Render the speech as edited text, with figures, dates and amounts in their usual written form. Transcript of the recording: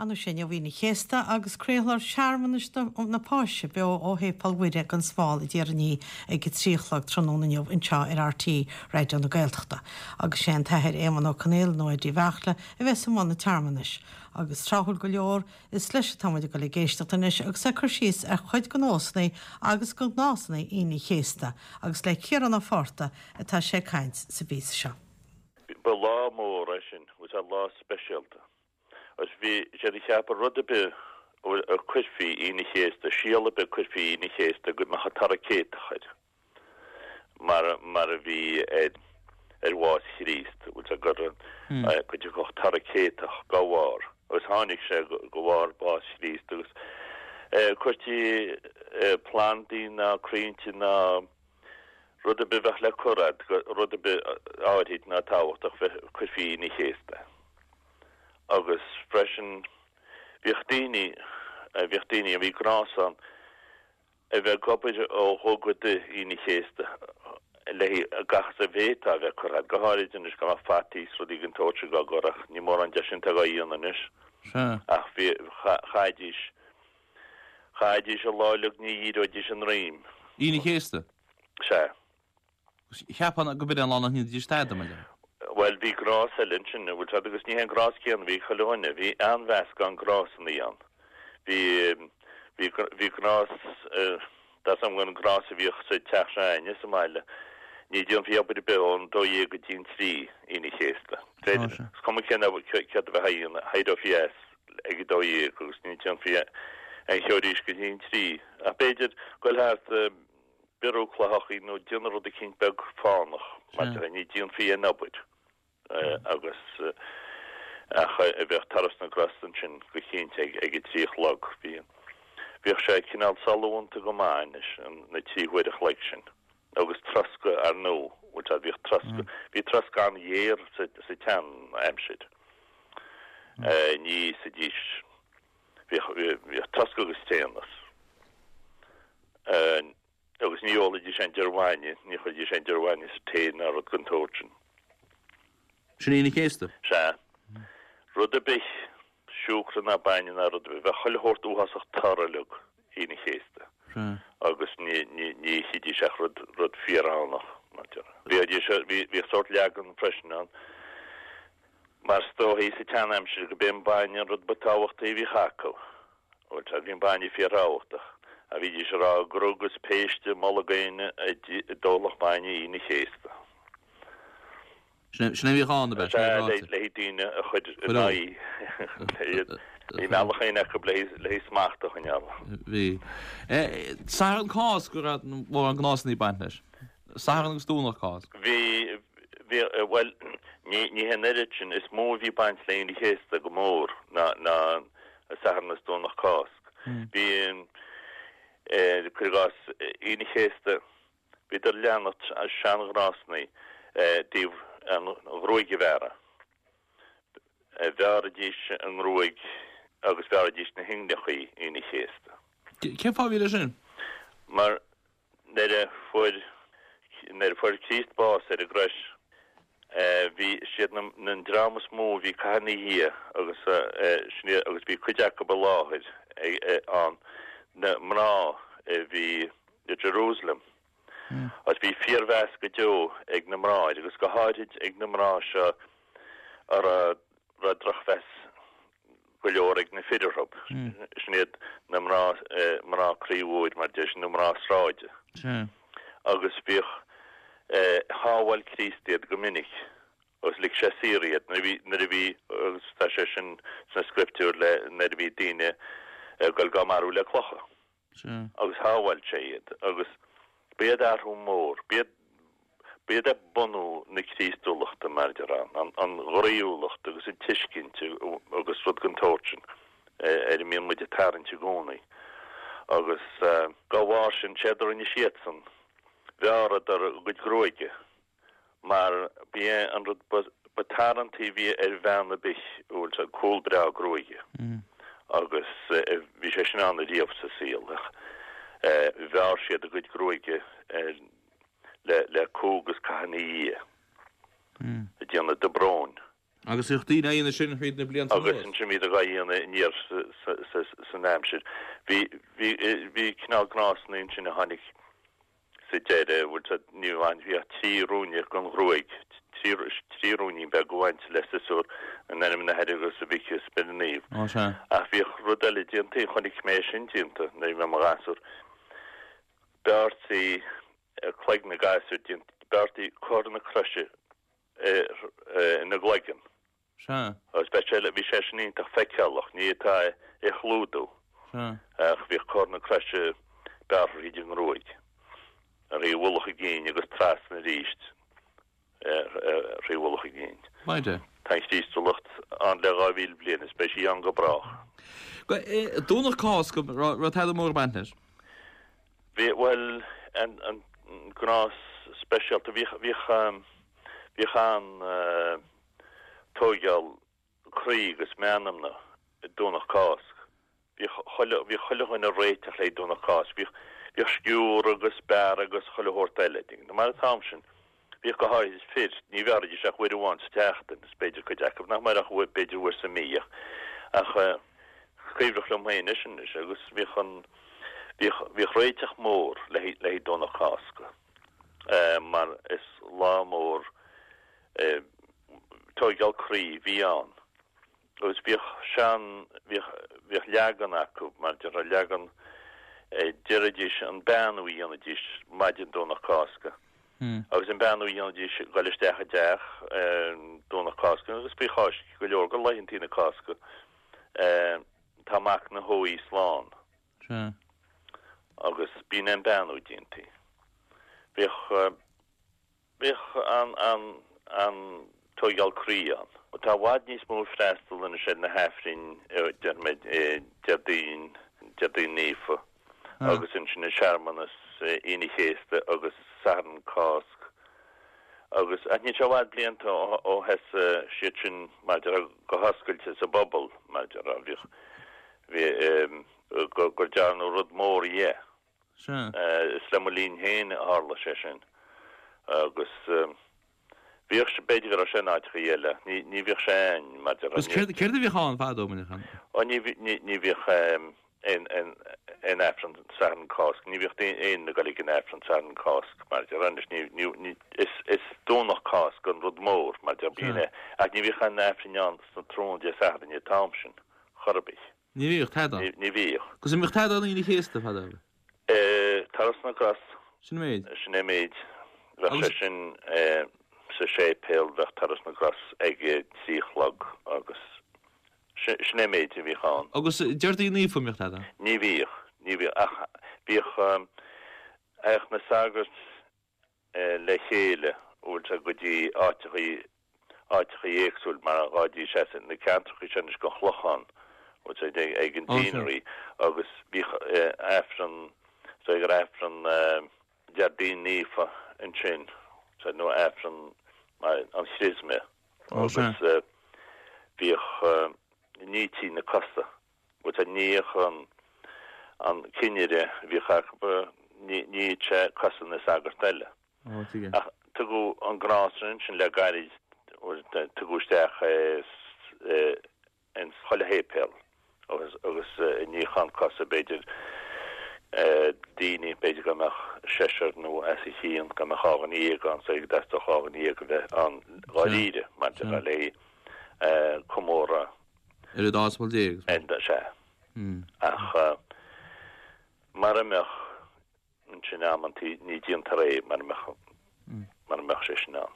Ar ndóigh sé inniu Aoine an Chéasta agus craolfar searmanas na Páise beo ó Shéipéal Mhuire gan Smál i dTír an Fhia ag a 3 a chlog tráthnóna inniu anseo ar RTÉ Raidió na Gaeltachta. Agus sé an tAthair Éamonn Ó Conaola nó Eddie Bheartla a bheas i mbun an tsearmanais. Agus tráthúil go leor, Is leis atá muid ag dul ag éisteacht anois agus é ag cur síos ar chuid de nósanna agus de ghnásanna Aoine an Chéasta agus le Ciarán Ó Fátharta atá sé ag caint sa bpíosa seo. Ba lá mór é sin, bhfuil a fhios a'd, lá speisialta. Agus bhí siad ag ceapadh rud ar bith a cuirfí Aoine an Chéasta, síol ar bith a cuirfí Aoine an Chéasta go mbeadh toradh céatach air. mar mar a bhí ar ar bhás Chríost, bhfuil a fhios a'd, gur go dtiocfadh toradh céatach dá bharr, agus tháinig sé de bharr bás Chríost, agus cuirtí plandaí ná crainnte ná rud ar bith a bheadh le cur a'd, rud ar bith áirid ná tábhachtach, bheith cuirfí Aoine an Chéasta. Agus freisin bhíodh daoine, bhíodh daoine, bhí gnás ann, a bheith ag obair ó dhó go dtí Aoine an Chéasta le gach is a bhféadfá a bheith curtha a'd, go háirid anois go mbeadh fataí is rudaí den tsórt sin á gcur ach ní mórán de sin atá á dhéanamh anois. Sea. Ach bhí, chaithidís, chaithidís an lá uilig ní dhíreoidís a ndroim. Aoine an Chéasta? Sea. Cheapfainn go b'in é an lá nach ndéanfaidís tada, mar dhea. Bhuel, bhí gnás eile ansin, an bhfuil a fhios a'd, agus ní hé an gnás céanna a bhí ag chuile dhuine. Bhí an-mheascán gnásanna ann. Bhí, bhí, bhí gnás, tá a fhios a'm an gnás a bhíodh sa teach seo a'inne sa mbaile, ní déanfaí obair ar bith ón dó dhéag go dtí an trí, Aoine an Chéasta. Is cuma cén céard a bheifeá a dhéanamh, éireofaí as ag a dó dhéag agus ní déanfaí aon cheo arís go dtí an trí. Ach b'fhéidir goil thart, biorú cloicheachaí nó déanamh rud eicínt beag fánach mar sin, ní déanfaí aon obair agus ach bheadh turas na gcros ansin go cinnte ag a trí a chlog. Bhí, bhíodh sé cineál sollúnta go maith anois, na trí huaire a chloig sin. Agus troscadh ar ndóigh, bhfuil a fhios a'd, bhíodh troscadh, bhí troscadh an-ghéar sa, sa tsean-aimsir. Ní íosfaidís, bhíodh, bhíodh troscadh agus tréanas. Agus ní ólaidís aon deoir bhainne, ní chuiridís aon deoir bhainne sa tae ná rud den tsórt sin. Sin Aoine an Chéasta? Sea. Rud ar bith, siúcra ná bainne ná rud ar bith, bheadh chuile shórt uafásach toradh uilig Aoine an Chéasta. Sea. Agus ní, ní, ní ithidís ach rud, rud fíorfhánach, mar a déarfá. Bhíodís, bhí, bhíodh sórt leagan freisin ann, mar is dóichí sa tsean-aimsir go b'é an bainne an rud ba tábhachtaí a bhíodh acu. Bhuel, sea, bhí an bainne fíorthábhachtach. Ach bhídís ag rá gur agus péiste i mbolg éinne a d'ólfadh bainne Aoine an Chéasta. Sin é a bhíodh ann, ab ea? Sin é a Sea, bhí ráite. le haghaidh daoine a chur ina aghaidh. Bhí bealach éigin acu le haghaidh smacht a choinneáil. Bhí. Satharn Cásca go raibh mórán gnásanna ag baint leis. Satharn agus Domhnach Cásca. Bhí, bhí, bhuel, ní, ní hé an oiread sin. Is mó a bhí baint le Aoine an Chéasta go mór ná, ná Satharn is Domhnach Cásc. Bhí, cuir i gcás, Aoine an Chéasta, bhíodar ag leanacht seanghnásanna i dtaobh an ghruaig a bhearradh. Bhearraidís a ngruaig agus bhearraidís na hinghneachaí Aoine an Chéasta. Cén fáth a bhí leis sin? Mar Nuair a fuair nuair a fuair Críost bás ar an gcrois, bhí siad na an dream is mó a bhí ag caitheamh ina dhiaidh agus sin iad agus bhí cuid acu i láthair ann, na mná a bhí i Jerusalem. Agus bhí fíormheas go deo ag na mná air agus go háirid ag na mná seo a raibh raibh drochmheas go leor ag na fir orthu. Sin iad na mná, mná croí mhóir mar deir siad, nó mná sráide. Agus bhíodh, shábháil Críost iad go minic agus lig sé saor iad nuair a bhí, nuair a bhí, agus tá sé sin sna scrioptúir le, nuair a bhí daoine ag dul dhá marú le clocha. agus shábháil sé iad, agus b'iad athrú mór, b'iad, b'iad ag bunú na Críostúlachta, mar a déarfá, an, an ghroíúlacht agus an tuiscint agus rud den tsórt sin ar a mbíonn muid ag tarraingt i gcónaí. Agus dá bharr sin, séard a rinne siadsan, bhearradar a gcuid gruaige. mar b'é an rud ba tarraingtí a bhí ar bhean ar bith, bhfuil a fhios a'd, cúl breá gruaige agus bhí sé sin ann ariamh sa saol ach bhearr siad a gcuid gruaige le, le cumha agus cath ina dhiaidh, ag déanamh dobróin. Agus bhíodh daoine á dhéanamh sin thríd na blianta anuas. Agus ansin bhíodar dhá dhéanamh aniar san aimsir. Bhí, bhí, bhí cineál gnásanna ansin a tháinig sa deireadh, bhfuil 's a'd, ní bhain, bhíodh 3 ruainne den ghruaig, 3, 3 ruainnín beag a bhaint le siosúr in ainm an Athar agus an Mhic is Spioraid Naomh. Ó sea. Ach bhíodh rud eile déanta, chonaic mé é sin déanta nuair a bhí mé i mo ghasúr. Bearrtaí cloig na gasúr déanta, bearrtaí comhartha na croise ina gcloigeann. Sea. Agus bheadh sé, bhí sé sin iontach feiceálach, ní fhéadfá é a chlúdú. Sea. Ach bhíodh comhartha na croise bearrtha thríd an ngruaig, thrí mhullach a gcinn agus trasna arís thrí mhullach a gcinn. Maith é. Tá an Chríostúlacht ann le 2,000 bliain is beidh sí ann go brách. Domhnach Cásca, raibh tada mór ag baint leis? Bhí, bhuel, an, an gnás speisialta, bhíodh, bhíodh, bhíodh an, tóigeáil croí agus meanmna Domhnach Cásc. Bhíodh chuile, bhíodh chuile dhuine ag réiteach le Domhnach Cásc. Bhíodh, bhíodh sciúradh agus bearradh agus chuile shórt eile. Mar an t-am sin, bhíodh go háirid fir, ní bhearraidís ach uair amháin sa tseachtain, is b'fhéidir cuid acu nach mbeadh ach uair, b'fhéidir uair sa mí ach, ach cuimhneach liom féin é sin anois agus bhíodh an, bhíodh, bhíodh réiteach mór le, le Domhnach Cásca mar is lá mór Tóigeáil croí a bhí ann agus bhíodh sean, bhíodh, bhíodh leagan acu, mar déarfá, leagan, déarfaidís an beannú a dhéanaidís maidin Domhnach Cásca agus an beannú a dhéanaidís ag dul isteach i dteach Domhnach Cásca agus faoi Cháisc go leor de laethantaí na Cásca tá mac na hóigh slán agus b'in an beannú a déantaí. Bhíodh. Bhíodh an tóigeáil croí ann. Tá i bhfad níos mó freastal anois ar na hAifrinn, déarfaidh mé, Déardaoin, Déardaoin Naofa agus ansin an searmanas Aoine Chéasta agus Satharn Cásc agus, ach níl sé i bhfad blianta ó thosaigh siad sin mar a déarfá go hoscailte sa bpobal mar a déarfá, bhíodh, bhí, gur dearnadh rud mór dhe. Sea. Is le mo linn féin a tharla sé sin. Agus bhíodh sé, b'fhéidir go raibh sé in áiteachaí eile, ní, ní bhíodh sé a'ainn, mar a déarfá. Agus céard, céard a bhíodh ann fadó, an mbíodh ann? Ó, ní, ní, ní bhíodh aon, aon, aon Aifreann Satharn Cásc, ní bhíodh aon ag dul ag an Aifreann Satharn Cásc, mar a déarfá anois, ní, ní, ní, is, is Domhnach Cásc an rud mór, mar a déarfá, bíonn é, ach ní bhíodh aon Aifrinn ann sna tráthnóna Dé Sathairn an t-am sin, chor ar bith. Ní bhíodh tada. Ní bhíodh. Agus an mbíodh tada an Aoine Chéasta fadó? Turas na gCros. Sin an méid. Sin é méid. Bheadh sé sin sa séipéal, bheadh Turas na gCros ag a 3 a chlog agus sin é méid a bhíodh ann. Agus Déardaoin Naofa an mbíodh tada? Ní bhíodh. Ní bhíodh. Ach bhíodh, théadh na sagairt le chéile, bhfuil 's a'd, go dtí áiteachaí, áiteachaí éagsúil mar ghabhaidís as na ceantrachaí seo anois den Chlochán, bhfuil 's a'd, ag an Deanery agus bhíodh Aifreann, so ag Aifreann Déardaoin Naofa ansin, so nó Aifreann an Chrisme agus bhíodh, nítí na cosa. Bhuel tá níodh an an cinnire a bhíodh acu, níodh sé cosa na sagart eile. Ó, tuige. Ach tugadh an gnás sin ansin le gairid, tugadh isteach é ins chuile shéipéal agus agus níochán cosa b'fhéidir daoine, b'fhéidir go mbeadh seisear nó as a chionn, go mbeadh 12 ann, so go dteastódh 12 a bheith ann dháiríre maidir le comóradh. Ar an dá aspail déag. Sea. Ach mara mbeadh ansin amantaí ní déantar é mara mbeadh, mara mbeadh sé sin ann.